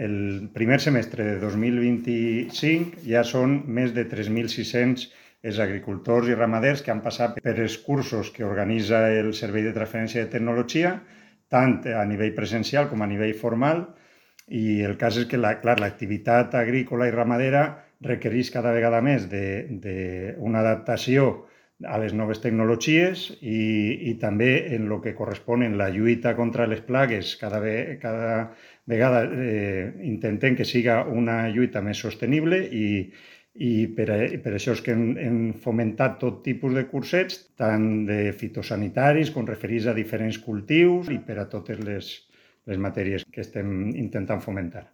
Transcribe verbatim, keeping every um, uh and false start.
el primer semestre de dos mil vint-i-cinc ja són més de tres mil sis-cents els agricultors i ramaders que han passat per els cursos que organitza el Servei de Transferència de Tecnologia, tant a nivell presencial com a nivell formal, i el cas és que la, clar, l'activitat agrícola i ramadera requereix cada vegada més d'una adaptació a les noves tecnologies i, i també en el que correspon en la lluita contra les plagues. Cada, ve, cada vegada eh, intentem que siga una lluita més sostenible i, i per, a, per això és que hem, hem fomentat tot tipus de cursets, tant de fitosanitaris com referits a diferents cultius i per a totes les, les matèries que estem intentant fomentar.